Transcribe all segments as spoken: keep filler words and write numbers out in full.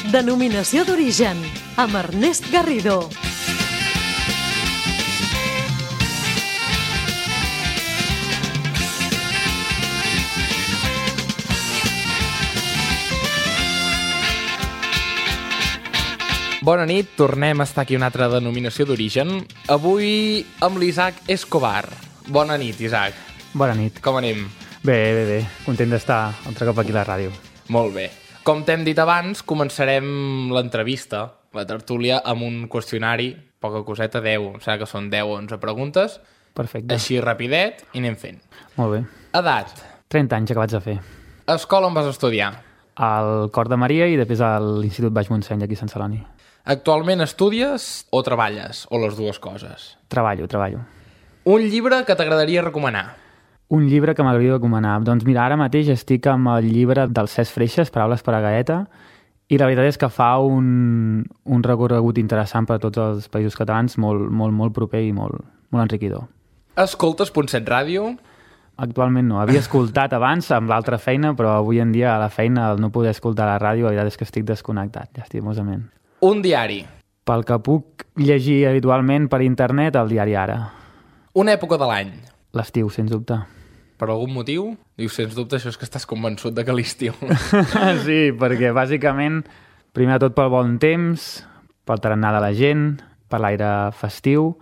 Denominació d'origen, amb Ernest Garrido. Bona nit, tornem a estar aquí una altra denominació d'origen. Avui amb l'Isaac Escobar. Bona nit, Isaac. Bona nit. Com anem? Bé, bé, bé. Content d'estar altre cop aquí a la ràdio. Molt bé. Com t'hem dit abans, començarem l'entrevista, la tertúlia, amb un qüestionari, poca coseta, deu, em sembla que són deu o onze preguntes. Perfecte. Així rapidet i anem fent. Molt bé. Edat. trenta anys acabats de fer. Escola on vas estudiar? Al Cor de Maria i després a l'Institut Baix Montseny, aquí a Sant Celoni. Actualment estudies o treballes? O les dues coses? Treballo, treballo. Un llibre que t'agradaria recomanar? Un llibre que m'agradaria recomanar? Doncs mira, ara mateix estic amb el llibre del Cesc Freixas, Paraules per a Gaeta, i la veritat és que fa un, un recorregut interessant per a tots els països catalans, molt, molt, molt proper i molt, molt enriquidor. Escoltes Punt set Ràdio? Actualment no. Havia escoltat abans amb l'altra feina, però avui en dia a la feina al no poder escoltar la ràdio, la veritat és que estic desconnectat, llastimosament. Un diari? Pel que puc llegir habitualment per internet, el diari Ara. Una època de l'any? L'estiu, sens dubte. Per algun motiu? Dius, sens dubte, això és que estàs convençut de que l'estiu. Sí, perquè bàsicament, primer de tot pel bon temps, pel tarannà de la gent, per l'aire festiu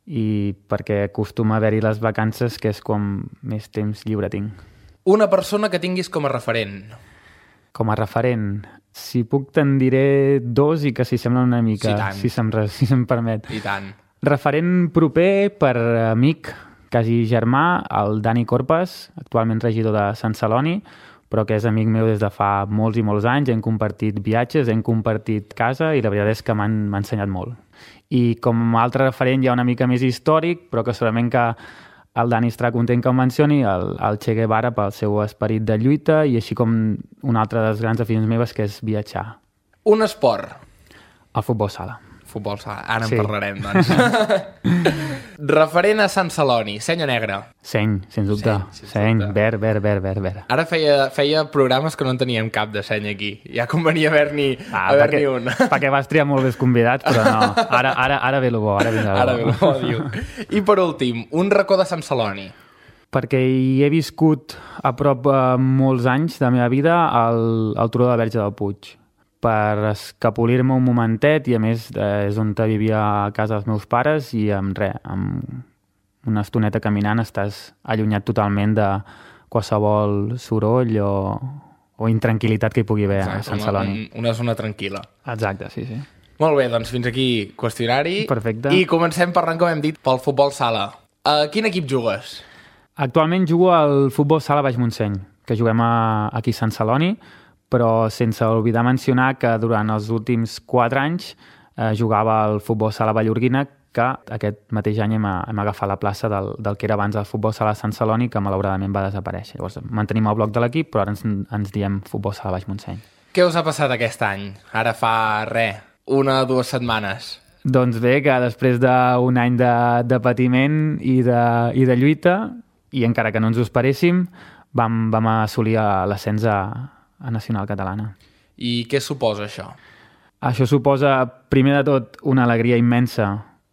i perquè acostuma a haver-hi les vacances, que és com més temps lliure tinc. Una persona que tinguis com a referent? Com a referent? Si puc te'n diré dos i que s'hi semblen una mica, sí, si se'm, si se'm permet. I tant. Referent proper per amic, quasi germà, el Dani Corpas, actualment regidor de Sant Celoni, però que és amic meu des de fa molts i molts anys, hem compartit viatges, hem compartit casa i la veritat és que m'han ensenyat molt. I com a altre referent hi ha una mica més històric, però que segurament que el Dani estarà content que em mencioni, el, el Che Guevara pel seu esperit de lluita i així com una altra de les grans aficions meves que és viatjar. Un esport? El futbol sala. Futbol sala, ara sí. En parlarem, doncs. Referent a Sant Celoni, seny o negre? Seny, sens dubte. Seny, sens seny dubte. Verd, verd, verd, verd, verd. Ara feia, feia programes que no en teníem cap de seny aquí. Ja convenia haver-n'hi ah, haver perquè, un. Perquè vas triar molt bé convidats, però no. Ara, ara, ara ve el bo, ara ve el bo. Ara ve el bo, diu. I per últim, un racó de Sant Celoni. Perquè hi he viscut a prop eh, molts anys de la meva vida al, al Turó de la Verge del Puig, per escapolir-me un momentet i a més eh, és on vivia a casa dels meus pares i amb res, amb una estoneta caminant estàs allunyat totalment de qualsevol soroll o, o intranquil·litat que hi pugui haver. Exacte, a Sant Celoni. Una, una zona tranquil·la. Exacte, sí, sí. Molt bé, doncs fins aquí qüestionari. Perfecte. I comencem parlant, com hem dit, pel futbol sala. A quin equip jugues? Actualment jugo al futbol sala Baix Montseny, que juguem a, aquí a Sant Celoni, però sense oblidar mencionar que durant els últims quatre anys eh, jugava al futbol sala Vallorguina, que aquest mateix any hem, hem agafat la plaça del, del que era abans el futbol sala Sant Celoni, que malauradament va desaparèixer. Llavors mantenim el bloc de l'equip, però ara ens, ens diem futbol sala Baix Montseny. Què us ha passat aquest any? Ara fa res, una o dues setmanes. Doncs bé, que després d'un any de, de patiment i de, i de lluita, i encara que no ens ho esperéssim, vam, vam assolir l'ascens a a Nacional Catalana. I què suposa això? Això suposa, primer de tot, una alegria immensa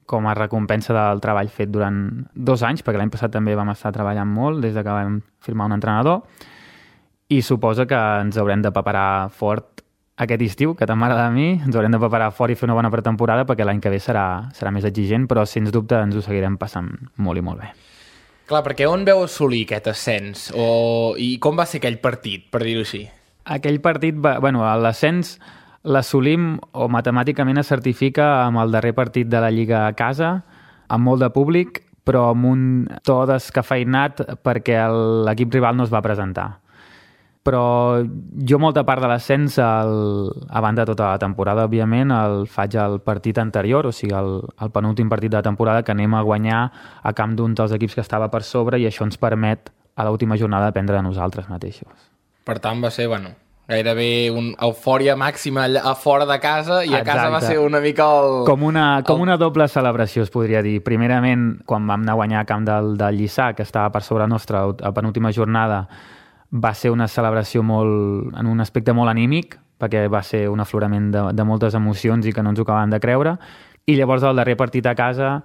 com a recompensa del treball fet durant dos anys, perquè l'any passat també vam estar treballant molt des que vam firmar un entrenador, i suposa que ens haurem de preparar fort aquest estiu, que tant m'agrada a mi, ens haurem de preparar fort i fer una bona pretemporada perquè l'any que ve serà, serà més exigent, però sens dubte ens ho seguirem passant molt i molt bé. Clar, perquè on veu assolir aquest ascens? O... I com va ser aquell partit, per dir-ho així? Aquell partit, va, bueno, l'ascens l'assolim o matemàticament es certifica amb el darrer partit de la Lliga a casa, amb molt de públic, però amb un to descafeinat perquè l'equip rival no es va presentar. Però jo molta part de l'ascens, a banda de tota la temporada, òbviament, el faig al partit anterior, o sigui, el, el penúltim partit de la temporada que anem a guanyar a camp d'un dels equips que estava per sobre i això ens permet a l'última jornada dependre de nosaltres mateixos. Per tant, va ser, bueno, gairebé una eufòria màxima a fora de casa i a Exacte. Casa va ser una mica el... Com una, com el... una doble celebració, es podria dir. Primerament, quan vam anar a guanyar a camp del, del Lliçà, que estava per sobre nostra a penúltima jornada, va ser una celebració molt, en un aspecte molt anímic, perquè va ser un aflorament de, de moltes emocions i que no ens ho acabàvem de creure. I llavors el darrer partit a casa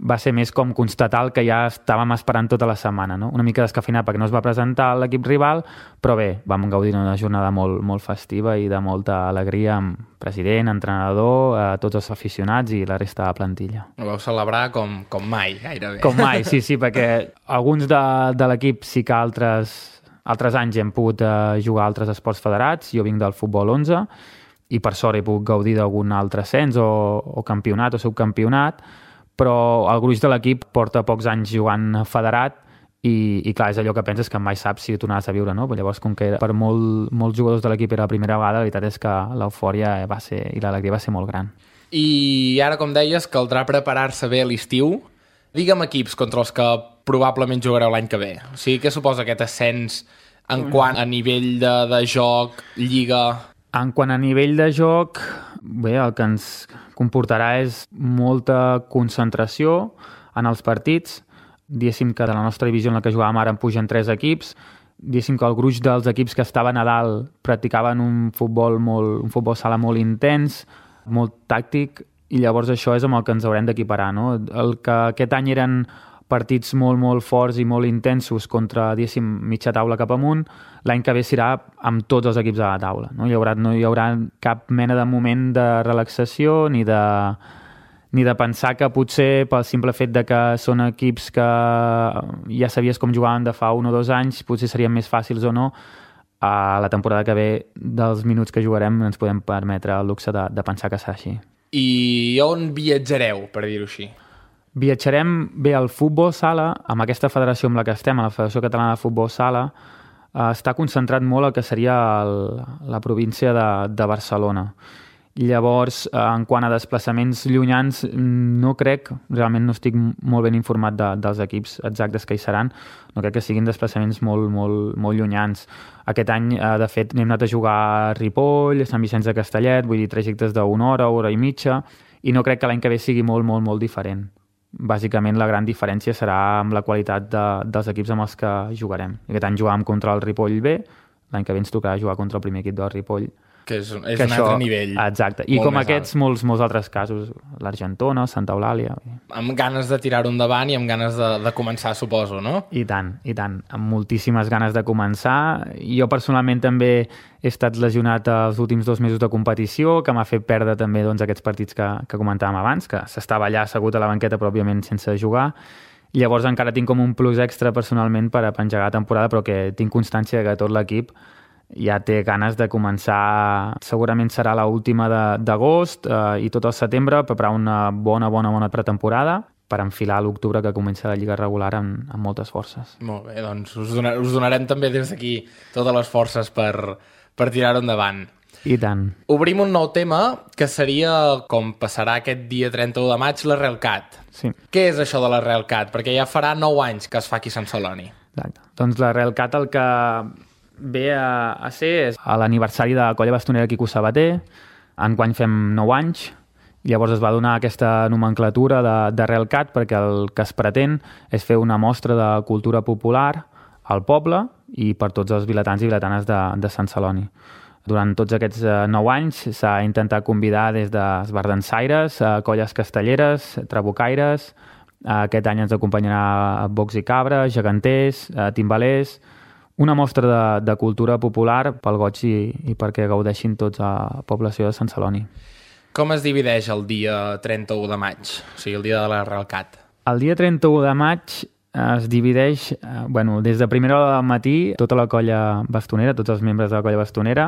va ser més com constatar el que ja estàvem esperant tota la setmana, no? Una mica descafeinat perquè no es va presentar l'equip rival, però bé, vam gaudir d'una jornada molt, molt festiva i de molta alegria amb president, entrenador, eh, tots els aficionats i la resta de la plantilla. Ho vau celebrar com, com mai, gairebé. Com mai, sí, sí, perquè alguns de, de l'equip sí que altres, altres anys hem pogut eh, jugar a altres esports federats. Jo vinc del futbol onze i per sort he pogut gaudir d'algun altre ascens o, o campionat o subcampionat, però el gruix de l'equip porta pocs anys jugant federat i, i clar, és allò que penses que mai saps si ho tornaràs a viure, no? Però llavors, com que per molt, molts jugadors de l'equip era la primera vegada, la veritat és que l'eufòria va ser, i l'alegria va ser molt gran. I ara, com deies, caldrà preparar-se bé a l'estiu. Digue'm equips contra els que probablement jugareu l'any que ve. O sigui, què suposa aquest ascens en quant a nivell de, de joc, lliga? En quant a nivell de joc, bé, el que ens comportarà és molta concentració en els partits. Diguéssim que de la nostra divisió en la que jugàvem ara en pugen tres equips. Diguéssim que el gruix dels equips que estaven a dalt practicaven un futbol, molt, un futbol sala molt intens, molt tàctic, i llavors això és amb el que ens haurem d'equiparar, no? El que aquest any eren partits molt, molt forts i molt intensos contra, diguéssim, mitja taula cap amunt, l'any que ve serà amb tots els equips a la taula. No hi haurà, no hi haurà cap mena de moment de relaxació ni de, ni de pensar que potser pel simple fet de que són equips que ja sabies com jugaven de fa un o dos anys, potser serien més fàcils o no. A la temporada que ve, dels minuts que jugarem, ens podem permetre el luxe de, de pensar que serà així. I on viatjareu, per dir-ho així? Viatjarem bé al futbol sala, amb aquesta federació amb la que estem, a la Federació Catalana de Futbol Sala, eh, està concentrat molt el que seria el, la província de, de Barcelona. Llavors, eh, en quant a desplaçaments llunyans, no crec, realment no estic molt ben informat de, dels equips exactes que hi seran, no crec que siguin desplaçaments molt, molt, molt llunyans. Aquest any, eh, de fet, hem anat a jugar a Ripoll, a Sant Vicenç de Castellet, vull dir, trajectes d'una hora, hora i mitja, i no crec que l'any que ve sigui molt, molt, molt diferent. Bàsicament la gran diferència serà amb la qualitat de, dels equips amb els que jugarem. Aquest any jugàvem contra el Ripoll B, l'any que ve ens tocarà jugar contra el primer equip del Ripoll. Que és, és que un això, altre nivell. Exacte. I com aquests, molts, molts altres casos. L'Argentona, Santa Eulàlia. Amb ganes de tirar-ho endavant i amb ganes de, de començar, suposo, no? I tant, i tant. Amb moltíssimes ganes de començar. Jo personalment també he estat lesionat els últims dos mesos de competició, que m'ha fet perdre també doncs, aquests partits que, que comentàvem abans, que s'estava allà assegut a la banqueta, però òbviament sense jugar. Llavors encara tinc com un plus extra personalment per a engegar la temporada, però que tinc constància que tot l'equip ja té ganes de començar, segurament serà l'última d'agost eh, i tot el setembre, preparar una bona, bona, bona pretemporada per enfilar l'octubre que comença la Lliga regular amb, amb moltes forces. Molt bé, doncs us, donar, us donarem també des d'aquí totes les forces per, per tirar-ho endavant. I tant. Obrim un nou tema que seria com passarà aquest dia trenta-u de maig la RealCat. Sí. Què és això de la RealCat? Perquè ja farà nou anys que es fa aquí a Sant Celoni. Exacte. Doncs la RealCat el que ve a, a ser és a l'aniversari de la colla bastonera Quico Sabater. Enguany fem nou anys. Llavors es va donar aquesta nomenclatura de, de RealCat perquè el que es pretén és fer una mostra de cultura popular al poble i per tots els vilatans i vilatanes de, de Sant Celoni. Durant tots aquests eh, nou anys s'ha intentat convidar des d'esbardansaires, eh, colles castelleres, trabucaires. Eh, aquest any ens acompanyarà bocs i cabra, geganters, eh, timbalers. Una mostra de, de cultura popular pel goig i, i perquè gaudeixin tots a la població de Sant Celoni. Com es divideix el dia trenta-u de maig? O sigui, el dia de la RealCat. El dia trenta-u de maig es divideix, eh, bueno, des de primera hora del matí, tota la colla bastonera, tots els membres de la colla bastonera,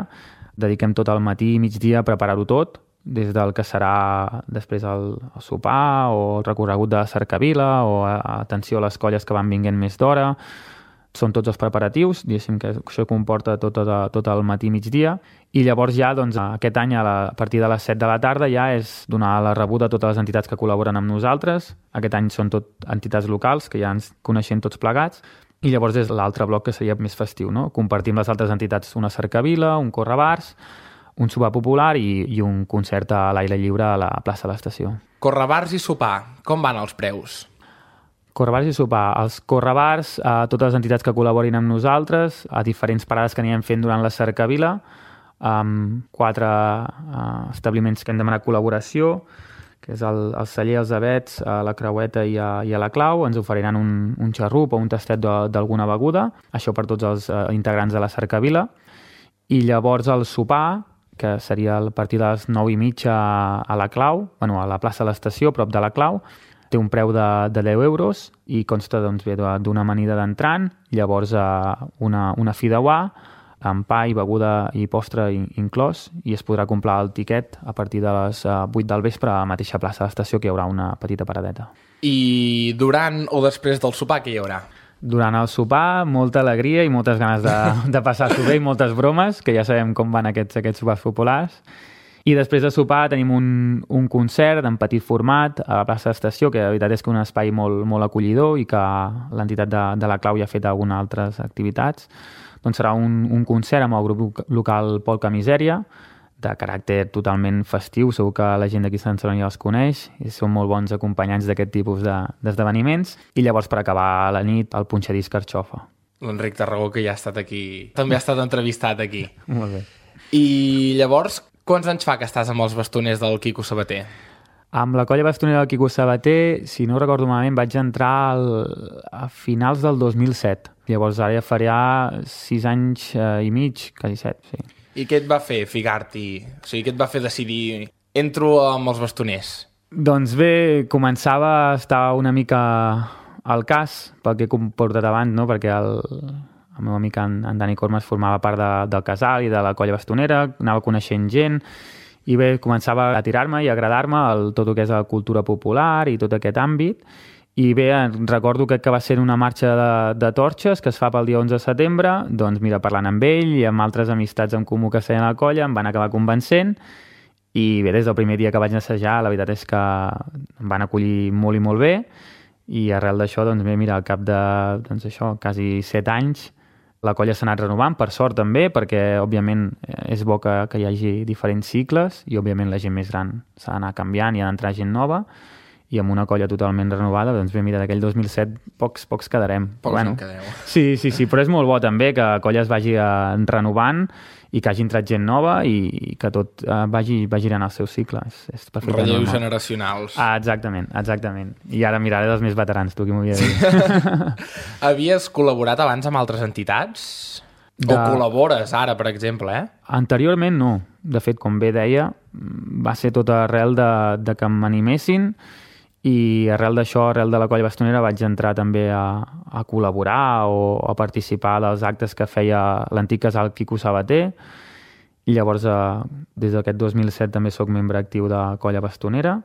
dediquem tot el matí i migdia a preparar-ho tot, des del que serà després el, el sopar o el recorregut de la cercavila o a, atenció a les colles que van vinguent més d'hora. Són tots els preparatius, diguéssim que això comporta tot, tot, tot el matí i migdia, i llavors ja doncs, aquest any a, la, a partir de les set de la tarda ja és donar la rebuda a totes les entitats que col·laboren amb nosaltres. Aquest any són tot entitats locals, que ja ens coneixem tots plegats, i llavors és l'altre bloc que seria més festiu, no? Compartim les altres entitats una cercavila, un correbars, un sopar popular i, i un concert a l'aire lliure a la plaça de l'estació. Correbars i sopar, com van els preus? Correbars i sopar. Els correbars, a totes les entitats que col·laborin amb nosaltres, a diferents parades que anirem fent durant la cercavila, amb quatre uh, establiments que hem demanat col·laboració, que és el, el celler, els Avets, a la Creueta i a, i a la Clau. Ens oferiran un, un xarrup o un tastet d'alguna beguda, això per tots els uh, integrants de la Cercavila. I llavors el sopar, que seria a partir de les nou i mitja a la Clau, bueno, a la plaça de l'Estació, prop de la Clau, té un preu de, de deu euros i consta doncs, bé, d'una amanida d'entrant, llavors uh, una, una fideuà, amb pa i beguda i postre inclòs, i es podrà comprar el tiquet a partir de les uh, vuit del vespre a la mateixa plaça de l'Estació, que hi haurà una petita paradeta. I durant o després del sopar, què hi haurà? Durant el sopar, molta alegria i moltes ganes de, de passar-s'ho bé i moltes bromes, que ja sabem com van aquests, aquests sopars populars. I després de sopar tenim un, un concert en petit format a la plaça d'Estació, que la veritat és que és un espai molt, molt acollidor i que l'entitat de, de la Clau ja ha fet algunes altres activitats. Doncs serà un, un concert amb el grup local Polka Misèria, de caràcter totalment festiu, segur que la gent d'aquí Sant Celoni ja els coneix, i són molt bons acompanyants d'aquest tipus d'esdeveniments, de, i llavors per acabar la nit el punxadís Carxofa. L'Enric Tarragó, que ja ha estat aquí, també ha estat entrevistat aquí. Molt bé. I llavors, quants anys fa que estàs amb els bastoners del Quico Sabater? Amb la colla bastonera del Quico Sabater, si no recordo malament, vaig entrar al, a finals del dos mil set. Llavors ara ja farà sis anys eh, i mig, quasi set, sí. I què et va fer ficar-t'hi? O sigui, què et va fer decidir entro amb els bastoners? Doncs bé, començava a estar una mica al cas, pel que he portat abans, no? Perquè el, el meu amic en, en Dani Cormes formava part de, del casal i de la colla bastonera, anava coneixent gent, i bé, començava a tirar-me i a agradar-me el, tot el que és la cultura popular i tot aquest àmbit. I bé, recordo que, que va ser una marxa de, de torxes que es fa pel dia onze de setembre, doncs mira, parlant amb ell i amb altres amistats en comú que feien a la colla, em van acabar convencent, i bé, des del primer dia que vaig assajar, la veritat és que em van acollir molt i molt bé, i arrel d'això, doncs bé, mira, al cap de, doncs això, quasi set anys, la colla s'ha anat renovant, per sort també, perquè, òbviament, és bo que, que hi hagi diferents cicles, i, òbviament, la gent més gran s'ha d'anar canviant i ha d'entrar gent nova, i amb una colla totalment renovada, doncs bé, mira, d'aquell dos mil set pocs, pocs quedarem. Pocs bueno, en quedeu. Sí, sí, sí, però és molt bo també que la colla es vagi eh, renovant i que hagi entrat gent nova i, i que tot eh, vagi, vagi anant al seu cicle. És, és perfectament Relleus normal. generacionals. Ah, exactament, exactament. I ara miraré dels més veterans, tu qui m'ho havia de dir. Havies col·laborat abans amb altres entitats? De... O col·labores ara, per exemple, eh? Anteriorment no. De fet, com bé deia, va ser tot arrel de, de que m'animessin, i arrel d'això, arrel de la colla bastonera, vaig entrar també a, a col·laborar o a participar dels actes que feia l'antic casal Quico Sabater, i llavors eh, des d'aquest dos mil set també sóc membre actiu de la colla bastonera,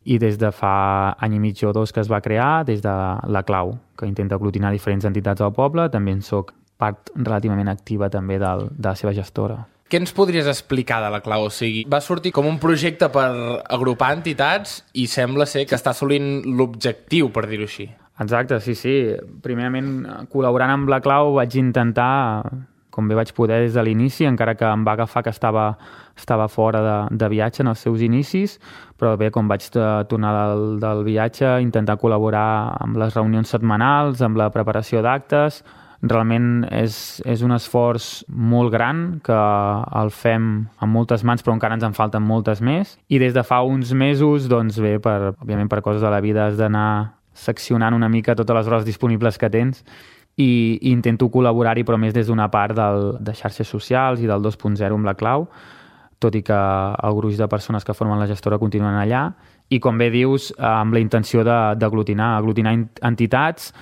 i des de fa any i mig o dos que es va crear, des de la Clau, que intenta aglutinar diferents entitats del poble, també en soc part relativament activa també del, de la seva gestora. Què ens podries explicar de la Clau? O sigui, va sortir com un projecte per agrupar entitats i sembla ser que està assolint l'objectiu, per dir-ho així. Exacte, sí, sí. Primerament, col·laborant amb la Clau vaig intentar, com bé vaig poder des de l'inici, encara que em va agafar que estava, estava fora de, de viatge en els seus inicis, però bé, com vaig tornar del, del viatge, intentar col·laborar amb les reunions setmanals, amb la preparació d'actes. Realment és, és un esforç molt gran que el fem amb moltes mans, però encara ens en falten moltes més. I des de fa uns mesos, doncs bé, per, òbviament per coses de la vida has d'anar seccionant una mica totes les hores disponibles que tens i, i intento col·laborar-hi, però més des d'una part del, de xarxes socials i del dos punt zero amb la Clau, tot i que el gruix de persones que formen la gestora continuen allà. I com bé dius, amb la intenció d'aglutinar, aglutinar entitats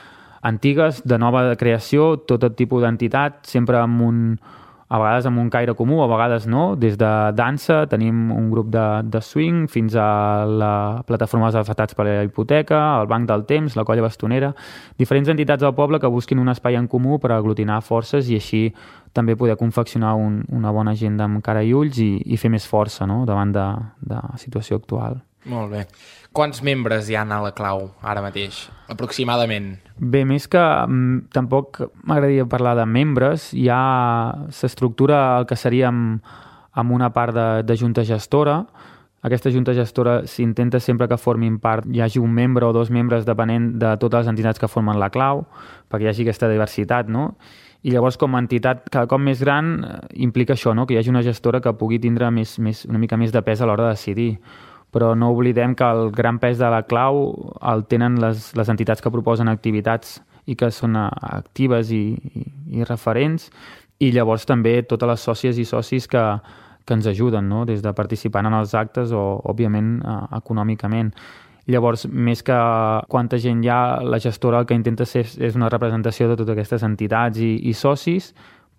antigues, de nova creació, tot tipus d'entitat, sempre amb un, a vegades amb un caire comú, a vegades no. Des de dansa tenim un grup de, de swing, fins a la plataforma dels afectats per la hipoteca, el Banc del Temps, la colla bastonera, diferents entitats del poble que busquin un espai en comú per aglutinar forces i així també poder confeccionar un, una bona agenda amb cara i ulls i, i fer més força, no?, davant de, de la situació actual. Molt bé. Quants membres hi ha a la Clau ara mateix, aproximadament? Bé, més que mm, tampoc m'agradaria parlar de membres, hi ha s'estructura el que seria amb, amb una part de, de junta gestora. Aquesta junta gestora s'intenta sempre que formin part, hi hagi un membre o dos membres depenent de totes les entitats que formen la Clau, perquè hi hagi aquesta diversitat, no? I llavors, com a entitat cada cop més gran, implica això, no? Que hi hagi una gestora que pugui tindre més, més, una mica més de pes a l'hora de decidir. Però no oblidem que el gran pes de la clau el tenen les, les entitats que proposen activitats i que són actives i, i, i referents, i llavors també totes les sòcies i socis que, que ens ajuden, no? Des de participant en els actes o, òbviament, eh, econòmicament. Llavors, més que quanta gent hi ha, la gestora el que intenta ser és una representació de totes aquestes entitats i, i socis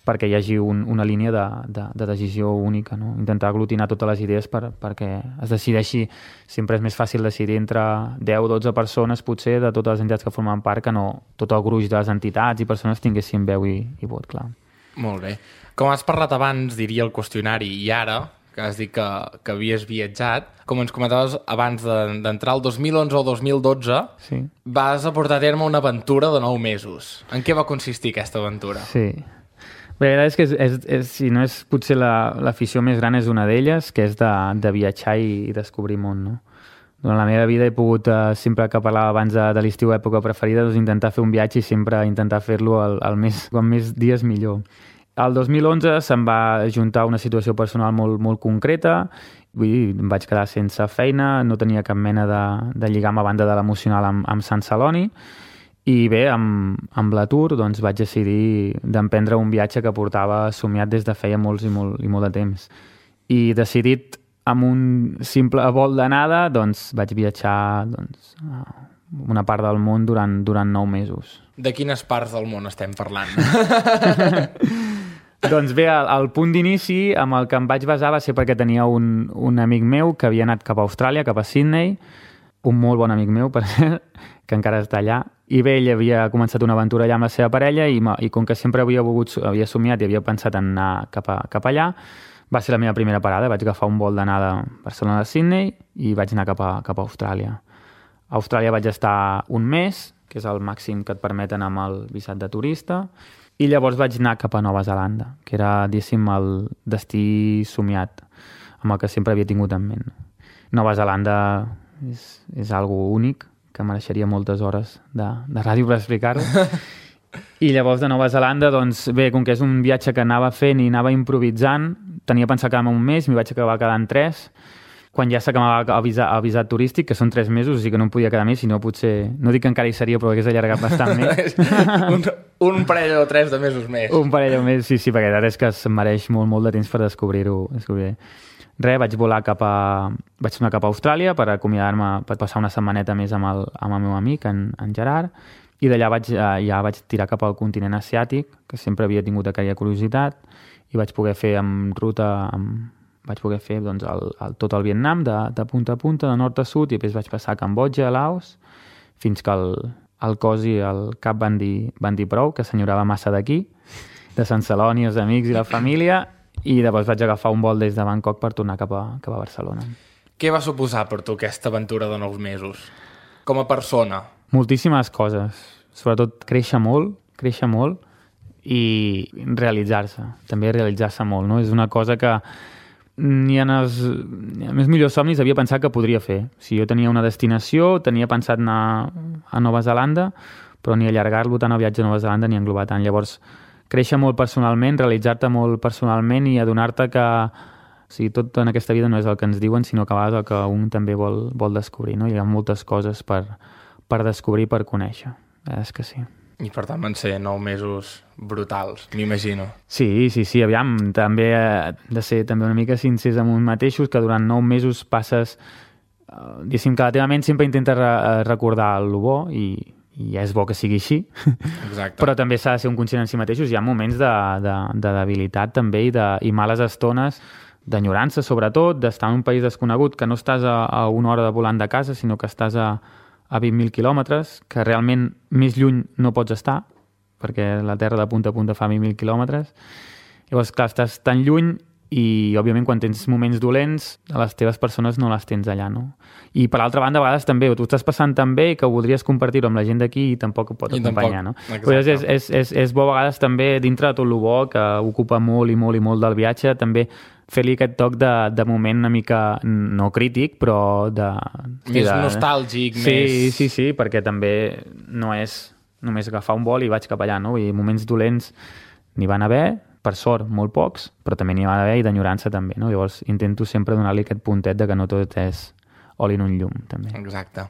perquè hi hagi un, una línia de, de, de decisió única, no? Intentar aglutinar totes les idees per, perquè es decideixi. Sempre és més fàcil decidir entre deu o dotze persones, potser, de totes les entitats que formen part, que no tot el gruix de les entitats i persones tinguessin veu i, i vot, clar. Molt bé. Com has parlat abans, diria el qüestionari, i ara, que has dit que, que havies viatjat, com ens comentaves abans d'entrar el dos mil onze o dos mil dotze, sí. Vas aportar a terme una aventura de nou mesos. En què va consistir aquesta aventura? Sí. Bé, la veritat és que, és, és, és, si no és potser l'afició la, més gran, és una d'elles, que és de, de viatjar i, i descobrir món, no? Durant la meva vida he pogut, eh, sempre que parlava abans de, de l'estiu època preferida, doncs intentar fer un viatge i sempre intentar fer-lo el, el més, com més dies millor. El dos mil onze se'm va juntar una situació personal molt, molt concreta, vull dir, em vaig quedar sense feina, no tenia cap mena de, de lligam a banda de l'emocional amb, amb Sant Celoni, i bé, amb, amb l'atur doncs, vaig decidir d'emprendre un viatge que portava somiat des de feia molts i molt, i molt de temps. I decidit amb un simple vol d'anada, doncs vaig viatjar doncs, a una part del món durant, durant nou mesos. De quines parts del món estem parlant? Doncs bé, el, el punt d'inici amb el que em vaig basar va ser perquè tenia un, un amic meu que havia anat cap a Austràlia, cap a Sydney, un molt bon amic meu, per cert, que encara està allà, i bé, ell havia començat una aventura allà amb la seva parella i, i com que sempre havia volgut, havia somiat i havia pensat en anar cap, a, cap allà, va ser la meva primera parada. Vaig agafar un vol d'anada a Barcelona de Sydney i vaig anar cap a, cap a Austràlia. A Austràlia vaig estar un mes, que és el màxim que et permeten amb el visat de turista, i llavors vaig anar cap a Nova Zelanda, que era, diguéssim, el destí somiat, amb el que sempre havia tingut en ment. Nova Zelanda és, és algo únic, que mereixeria moltes hores de, de ràdio per explicar-ho. I llavors de Nova Zelanda, doncs bé, com que és un viatge que anava fent i anava improvisant, tenia pensat quedar-me un mes, m'hi vaig acabar quedant tres. Quan ja s'acabava el visat, el visat turístic, que són tres mesos, o sigui que no em podia quedar més, si no potser... No dic que encara hi seria, però hagués allargat bastant més. un, un parell o tres de mesos més. Un parell o més, sí, sí, perquè la veritat és que es mereix molt, molt de temps per descobrir-ho. Descobrir. Res, vaig volar cap a... Vaig anar cap a Austràlia per acomiadar-me, per passar una setmaneta més amb el, amb el meu amic, en, en Gerard, i d'allà vaig, ja vaig tirar cap al continent asiàtic, que sempre havia tingut aquella curiositat, i vaig poder fer amb ruta... Amb, vaig poder fer doncs, el, el, tot el Vietnam, de, de punta a punta, de nord a sud, i després vaig passar a Cambodja, a Laos, fins que el, el cos i el cap van dir, van dir prou, que s'enyorava massa d'aquí, de Sant Celoni, els amics i la família, i llavors vaig agafar un vol des de Bangkok per tornar cap a, cap a Barcelona. Què va suposar per tu aquesta aventura de nou mesos? Com a persona? Moltíssimes coses. Sobretot créixer molt, créixer molt i realitzar-se. També realitzar-se molt, no? És una cosa que ni en els, en els meus millors somnis havia pensat que podria fer. Si jo tenia una destinació, tenia pensat anar a Nova Zelanda, però ni allargar-lo tant el viatge a Nova Zelanda ni englobar tant. Llavors, créixer molt personalment, realitzar-te molt personalment i adonar-te que o sigui, tot en aquesta vida no és el que ens diuen, sinó que a vegades el que un també vol, vol descobrir. No? Hi ha moltes coses per, per descobrir i per conèixer. És que sí. I per tant van ser nou mesos brutals, m'imagino. Sí, sí, sí, aviam, també eh, de ser també una mica sincers amb un mateixos, que durant nou mesos passes, eh, diguéssim que la teva ment sempre intenta re recordar el bo i, i és bo que sigui així. Exacte. Però també s'ha de ser un conscient en si mateixos. Hi ha moments de, de, de debilitat també i, de, i males estones, d'enyorança sobretot, d'estar en un país desconegut, que no estàs a, a una hora de volant de casa, sinó que estàs a a vint mil quilòmetres, que realment més lluny no pots estar, perquè la Terra de punta a punta fa vint mil quilòmetres. Llavors, clar, estàs tan lluny i, òbviament, quan tens moments dolents, a les teves persones no les tens allà, no? I, per altra banda, a vegades també, tu estàs passant tan bé que voldries compartir-ho amb la gent d'aquí i tampoc ho pot I acompanyar, tampoc. No? Pues és, és, és, és bo a vegades també, dintre de tot el bo, que ocupa molt i molt i molt del viatge, també fer-li aquest toc de, de moment una mica, no crític, però de... Més de, nostàlgic, sí, més... Sí, sí, sí, perquè també no és només agafar un vol i vaig cap allà, no? I moments dolents n'hi van haver, per sort, molt pocs, però també n'hi va haver i d'enyorança també, no? Llavors intento sempre donar-li aquest puntet de que no tot és oli en un llum, també. Exacte.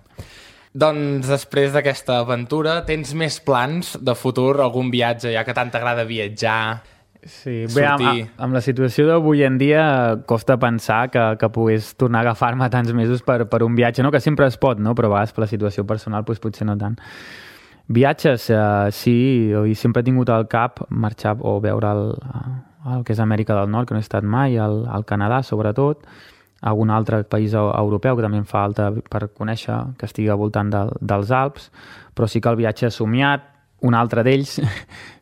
Doncs després d'aquesta aventura, tens més plans de futur, algun viatge, ja que tant t'agrada viatjar, sí, bé, amb, amb la situació d'avui en dia costa pensar que, que pogués tornar a agafar-me tants mesos per, per un viatge, no? Que sempre es pot, no? Però a vegades per la situació personal doncs, potser no tant. Viatges, eh, sí, i sempre he tingut al cap marxar o veure el, el que és Amèrica del Nord, que no he estat mai, el, el Canadà sobretot, algun altre país europeu que també em fa falta per conèixer, que estigui al voltant del, dels Alps, però sí que el viatge somiat, un altre d'ells,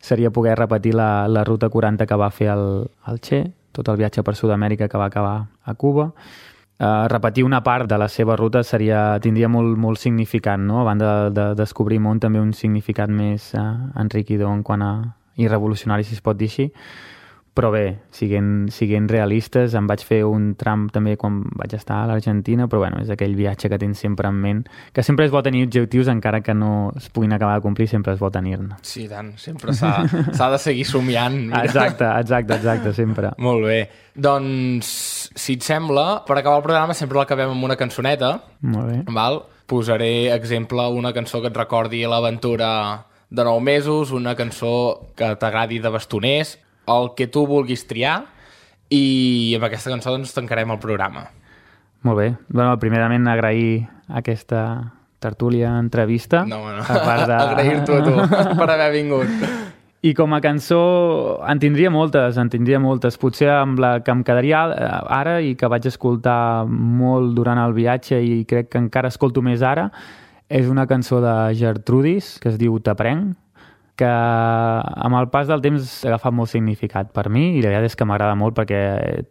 seria poder repetir la, la ruta quaranta que va fer el, el Che, tot el viatge per Sud-amèrica que va acabar a Cuba. Uh, repetir una part de la seva ruta seria, tindria molt, molt significat, no? A banda de, de descobrir món, també un significat més uh, enriquidor en quant a i revolucionari, si es pot dir així. Però bé, siguent, siguent realistes, em vaig fer un tram també quan vaig estar a l'Argentina, però bueno, és aquell viatge que tens sempre en ment, que sempre és bo tenir objectius, encara que no es puguin acabar de complir, sempre és bo tenir-ne. Sí, tant, sempre s'ha de seguir somiant. Mira. Exacte, exacte, exacte, sempre. Molt bé. Doncs, si et sembla, per acabar el programa sempre l'acabem amb una cançoneta. Molt bé. Val? Posaré exemple una cançó que et recordi l'aventura de nou mesos, una cançó que t'agradi de bastoners, el que tu vulguis triar, i amb aquesta cançó doncs tancarem el programa. Molt bé. Bueno, primerament agrair aquesta tertúlia, entrevista. No, no. A part de... Agrair-t'ho a tu per haver vingut. I com a cançó en tindria moltes, en tindria moltes. Potser amb la que em quedaria ara i que vaig escoltar molt durant el viatge i crec que encara escolto més ara, és una cançó de Gertrudis que es diu T'aprenc, que amb el pas del temps ha agafat molt significat per mi i la veritat és que m'agrada molt perquè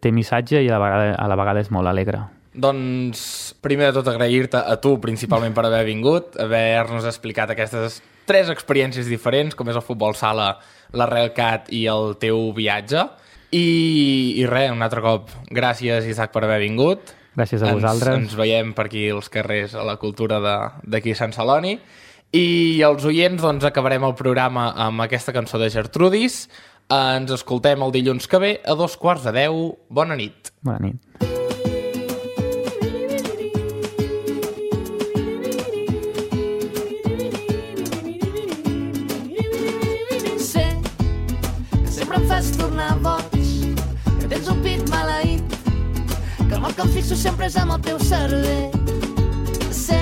té missatge i a la vegada, a la vegada és molt alegre. Doncs, primer de tot, agrair-te a tu principalment per haver vingut, haver-nos explicat aquestes tres experiències diferents, com és el futbol sala, la Railcat i el teu viatge. I, i res, un altre cop, gràcies, Isaac, per haver vingut. Gràcies a ens, vosaltres. Ens veiem per aquí als carrers a la cultura d'aquí a Sant Celoni. I els oients, doncs, acabarem el programa amb aquesta cançó de Gertrudis. Ens escoltem el dilluns que ve a dos quarts de deu. Bona nit. Bona nit. Sé que sempre em fas tornar boig, que tens un pit maleït, que el mal que em fixo sempre és amb el teu cervell. Sé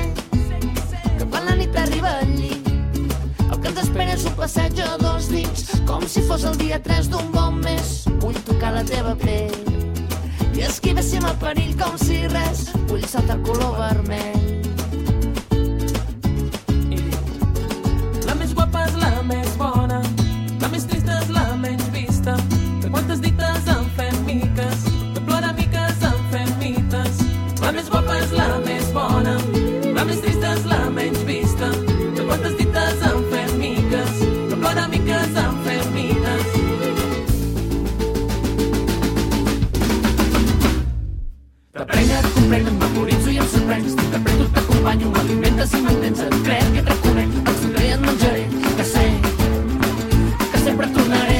que quan la nit arriba al llit, el que ens espera és un passeig a dos dits, com si fos el dia tres d'un bon mes. Vull tocar la teva pell i esquivéssim el perill com si res. Vull saltar el color vermell. La més guapa és la més bona, la més trista és la menys vista. De quantes dites en fem miques, de plora miques en fem mites. La més guapa és la més bona, la més trista és la menys vista. De quantes dites en fem miques, de plora miques en fem mites. T'aprenc, et comprenc, em memoritzo i em sorprens. T'interpreto, t'acompanyo, m'alimentes i m'entens. Et crec que et reconec, et sonrei i et menjaré. Que sé, que sempre et tornaré.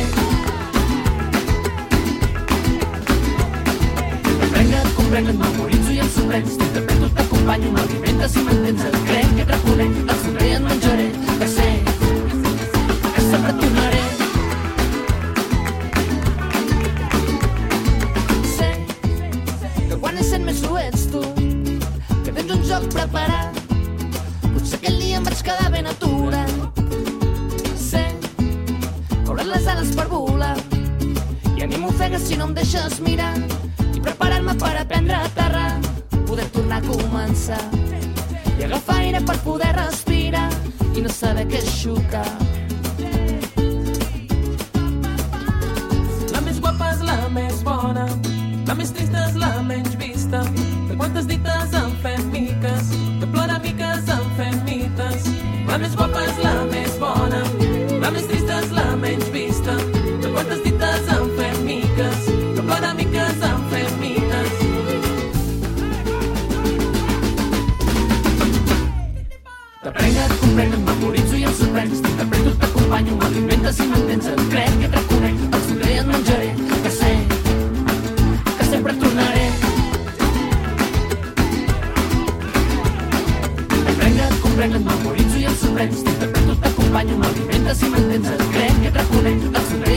T'aprenc, et comprenc, et memoritzo i em sorprens. T'interpreto, t'acompanyo, m'alimentes i m'entens. Et crec que et reconec, et sonrei i et menjaré. Que sé, que sempre et tornaré. Ho ets tu, que tens un joc preparat. Potser aquell dia em vaig quedar ben aturat. Sé que hauràs les ales per volar i a mi m'ofegues si no em deixes mirar i preparar-me per aprendre a aterrar, poder tornar a començar i agafar aire per poder respirar i no saber què és xocar. La més guapa és la més bona, la més trista és la menys vista. De quantes dites en fem miques, de plora miques en fem mites. La més guapa és la més bona, la més trista és la menys vista. De quantes dites en fem miques, de plora miques en fem mites. T'aprenc, et comprenc, em memoritzo i em sorprens. T'interpreto, t'acompanyo, m'alimentes i m'entens. Et crec que et reconec, comprens, t'interpreto, t'acompanyo, m'alimentes i mantens, et crec, et reconec, et somric